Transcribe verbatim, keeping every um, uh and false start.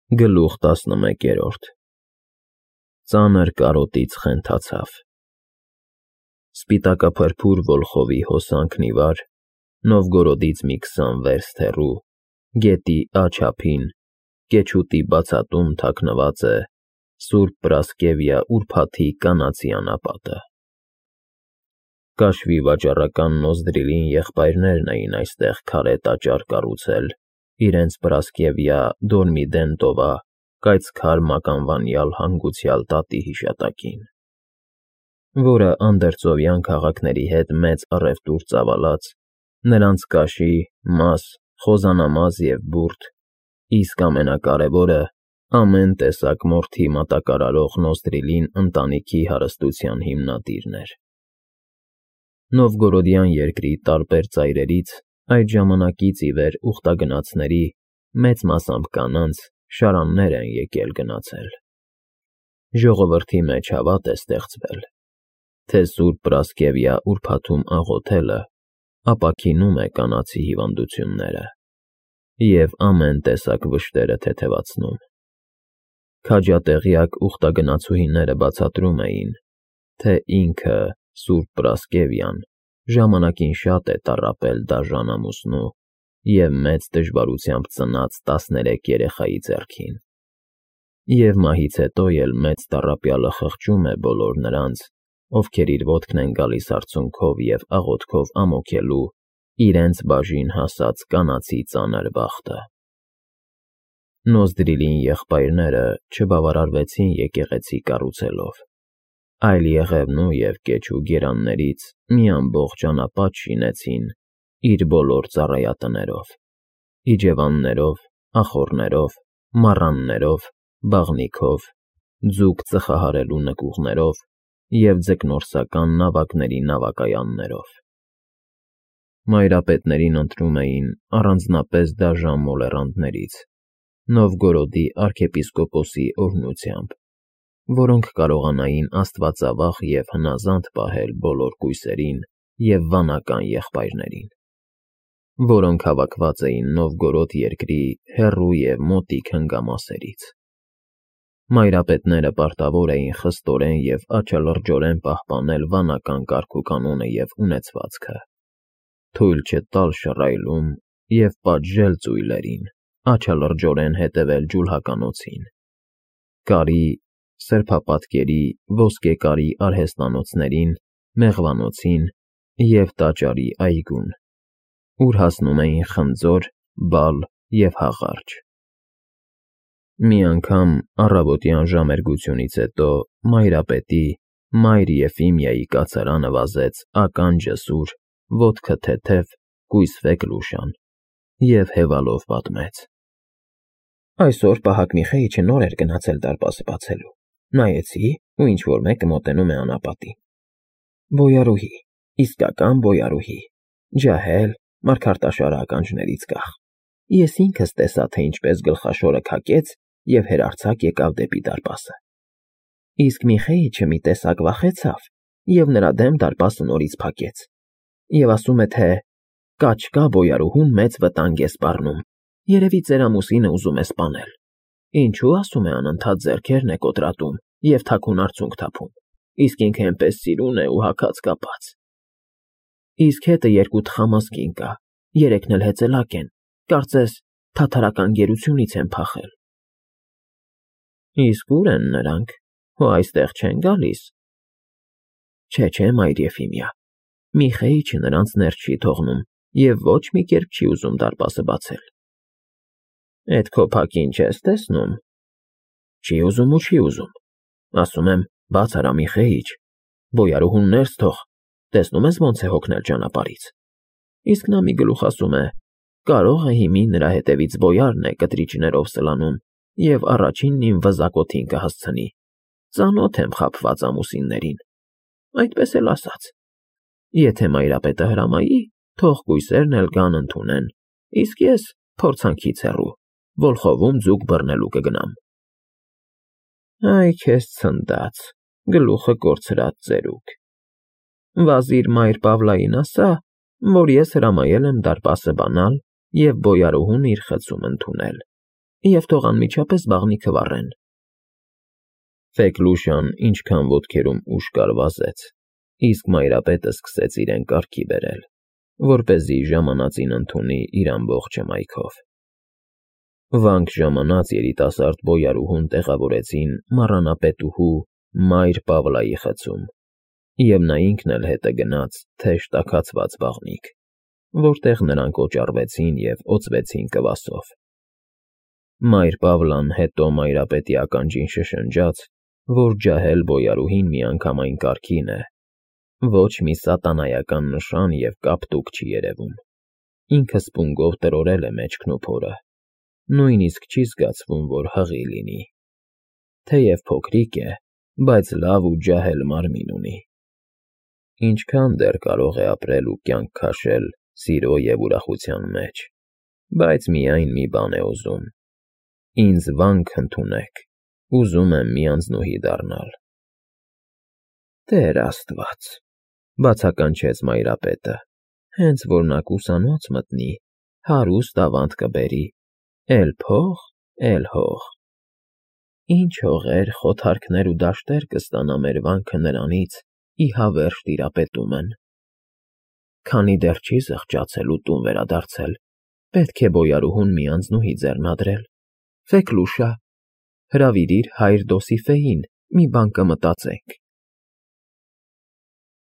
Գլուխ տասնմեկերորդ Ծանր կարոտից խենթացավ։ Սպիտակափրփուր Վոլխովի հոսանքն ի վար, Նովգորոդից մի քսան վերստ հեռու, գետի աջ ափին, կեչուտի բացատում թաքնված է Սուրբ Պրասկևիա ուրբաթի կանացի անապատը։ Կաշվի վաճառական Նոզդրիլին եղբայրներն էին այստեղ քարե տաճար կառուցել իրենց Պրասկևիա Դորմիդենտովա կայծքար մականվանյալ հանգուցյալ տատի հիշատակին, որը անդերձովյան քաղաքների հետ մեծ առևտուր ծավալած, նրանց կաշի, մաս, խոզանամազ և բուրդ, իսկ ամենակարևորը ամեն տեսակ մորթի մատակարարող Նոզդրիլին ընտանիքի հարստության հիմնադիրն էր։ Նովգորոդյան երկրի տարբեր ծայրերից այդ ժամանակից ի վեր ուխտագնացների, մեծ մասամբ կանանց, շարաններ են եկել գնացել։ Ժողովրդի մեջ հավատ է ստեղծվել, թե Սուրբ Պրասկևիա ուրբաթում աղոթելը ապաքինում է կանացի հիվանդությունները և ամեն տեսակ վշտերը թեթևացնում։ Քաջատեղյակ ուխտագնացուհիները բացատրում էին, թե ինքը Սուրբ Պրասկևիան ժամանակին շատ է տառապել դաժան ամուսնու և մեծ դժվարությամբ ծնած տասներեք երեխայի ձեռքին, և մահից հետո էլ մեծ տառապյալը խղճում է բոլոր նրանց, ովքեր իր ոտքն են գալիս արցունքով և աղոթքով ամոթելու իրենց բաժին հասած կանացի ծանր բախտը։ Նոզդրիլին եղբայրները չբավարարվեցին եկեղեցի կառուցելով, այլ Եղևնու և Կեչու գերաններից մի ամբողջ անապատ շինեցին իր բոլոր ծառայատներով, իջևաններով, ախոռներով, մառաններով, բաղնիքով, ձուկ ծխահարելու նկուղներով և ձկնորսական նավակների նավակայաններով։ Մայրապետներին ընտրում էին առանձնապես դաժան մոլեռանդներից, Նովգորոդի արքեպիսկոպոսի օրհնությամբ, որոնք կարողանային աստվածավախ և հնազանդ պահել բոլոր կույսերին և վանական եղբայրներին, որոնք հավաքված էին Նովգորոդ երկրի հեռու և մոտիկ հնգամասերից։ Մայրապետները պարտավոր էին խստորեն և աչալրջորեն պահպանել վանական կարգուկանոնը և ունեցվածքը, թույլ չտալ շռայլում և պատժել ծույլերին, աչալրջորեն հետևել ջուլհականոցին, կարի, սրբապատկերի, ոսկեկարի արհեստանոցներին, մեղվանոցին և տաճարի այգուն, ուր հասնում էին խնձոր, բալ և հաղարջ։ Մի անգամ առավոտյան ժամերգությունից հետո մայրապետի՝ մայր Եֆիմիայի կացարանը վազեց ականջը սուր, ոտքը թեթև, կույսվեկ Լուշան և հևալով պատմեց. Այսօր պահակ Միխեիչը նոր էր գնացել դարպասը բացելու, նայեցի, ու ինչ֊որ մեկը մոտենում է անապատին։ Բոյարուհի, իսկական բոյարուհի, ջահել, մարգարտաշարը ականջներից կախ։ Ես ինքս տեսա, թե ինչպես գլխաշորը քակեց և հեռարձակ եկավ դեպի դարպասը։ Իսկ Միխեիչը մի տեսակ վախեցավ և նրա դեմ դարպասը նորից փակեց և ասում է, թե կաչ կա բոյարուհուն մեծ վտանգ է սպառնում, երևի ծեր ամուսինը ուզում է սպանել։ Ինչու, ասում է, անընդհատ ձեռքերն է կոտրատում և թաքուն արցունք թափում, իսկ ինքը էնպես սիրուն է ու հագած կապած։ Իսկ հետը երկու թխամաս կին կա, երեքն էլ հեծելակ են, կարծես թաթարական գերությունից են փախել։ Իսկ ո՞ւր են նրանք, հո այստեղ չեն գալիս։ Չէ, չէ, մայր Եֆիմիա, Միխեիչը նրանց ներս չի թողնում և ոչ մի կերպ չի ուզում դարպասը բացել։ Էդ քո փակին չես տեսնում։ Չի ուզում ու չի ուզում։ Ասում եմ, բաց արա, Միխեիչ, բոյարուհուն ներս թող, տեսնում ես ոնց է հոգնել ճանապարհից։ Իսկ նա մի գլուխ ասում է, կարող է հիմի նրա հետևից բոյարն է կտրիչներով սլանում և առաջինն իմ վզակոթին կհասցնի, ծանոթ եմ խաբված ամուսիններին, այդպես էլ ասաց։ Եթե մայրապետը հրամայի, թող կույսերն էլ գան ընդունեն, իսկ ես փորձանքից հեռու, Վոլխովում ձուկ բռնելու կգնամ։ Այ քեզ ցնդած, գլուխը կորցրած ծերուկ։ Վազիր մայր Պավլային ասա, որ ես հրամայել եմ դարպասը բանալ և բոյարուհուն իր խցում ընդունել, և թող անմիջապես բաղնի քվառեն։ Ֆեքլուշան ինչքան ոտքերում ուժ կար վազեց, իսկ Մայրապետը սկսեց իրեն կարգի բերել, որպեսզի ժամանածին ընդունի իր ամբողջ հմայքով։ Վանք ժամանած երիտասարդ բոյարուհուն տեղավորեցին մառանապետուհու Մայր Պավլայի խցում, և նա ինքն էլ հետը գնաց թեժ տաքացված բաղնիք, որտեղ նրանք օճառվեցին և օծվեցին կվասով։ Մայր Պավլան հետո Մայրապետի ականջին շշնջաց, որ ջահել բոյարուհին միանգամայն կարգին է, ոչ մի սատանայական նշան և կապ տուկ չի երևում, ինքը սպունգով տրորել է մեջքն ու փորը, նույնիսկ չի զգացվում, որ հղի լինի, թեև փոքրիկ է, բայց լավ ու ջահել մարմին ունի։ Ինչքան դեռ կարող է ապրել ու կյանք քաշել սիրո և ուրախության մեջ, բայց միայն մի բան է ուզում. ինձ վանք ընդունեք, ուզում եմ մի անձնուհի դառնալ։ Տեր Աստված, բացականչեց Մայրապետը, հենց որ նա կուսանոց մտնի, հարուստ ավանդ կբերի, էլ փող, էլ հող։ Ինչ հողեր, խոթարքներ ու դաշտեր կստանա մեր վանքը նրանից, ի հավերժ տիրապետումն։ Քանի դեռ չի զղջացել ու տուն վերադարձել, պետք է բոյարուհուն մի անձնուհի ձեռնադրել։ Ֆեքլուշա, հրավիրիր հայր Դոսիֆեին, մի բան կմտածենք։